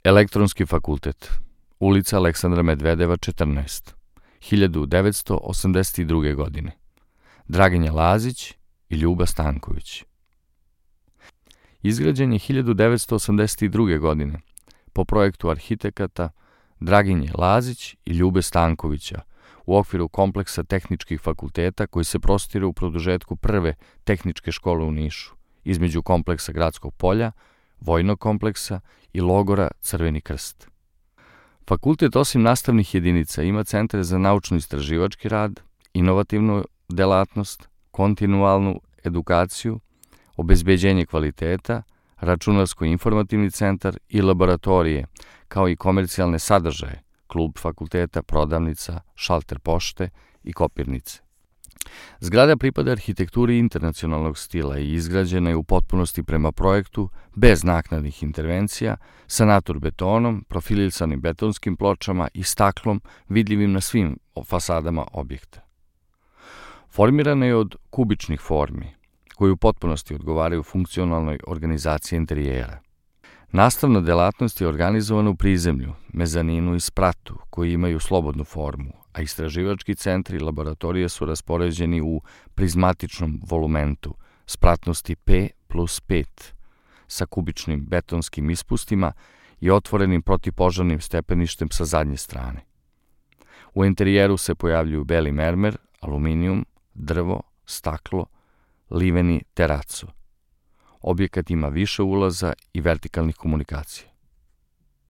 Elektronski fakultet, ulica Aleksandra Medvedeva 14, 1982. godine. Draginja Lazić i Ljuba Stanković. Izgrađen je 1982. godine po projektu arhitekata Draginje Lazić i Ljube Stankovića u okviru kompleksa tehničkih fakulteta koji se prostire u produžetku prve tehničke škole u Nišu, između kompleksa Gradskog polja, vojnog kompleksa i logora Crveni krst. Fakultet osim nastavnih jedinica ima centre za naučno-istraživački rad, inovativnu delatnost, kontinualnu edukaciju, obezbeđenje kvaliteta, računarsko-informativni centar i laboratorije, kao i komercijalne sadržaje, klub fakulteta, prodavnica, šalter pošte i kopirnice. Zgrada pripada arhitekturi internacionalnog stila i izgrađena je u potpunosti prema projektu, bez naknadnih intervencija, sa naturbetonom, profilisanim betonskim pločama i staklom vidljivim na svim fasadama objekta. Formirana je od kubičnih formi, koji u potpunosti odgovaraju funkcionalnoj organizaciji interijera. Nastavna delatnost je organizovana u prizemlju, mezaninu i spratu, koji imaju slobodnu formu, a istraživački centri i laboratorije su raspoređeni u prizmatičnom volumentu spratnosti P+5 sa kubičnim betonskim ispustima i otvorenim protivpožarnim stepeništem sa zadnje strane. U interijeru se pojavljuju beli mermer, aluminijum, drvo, staklo, liveni teraco. Objekat ima više ulaza i vertikalnih komunikacija.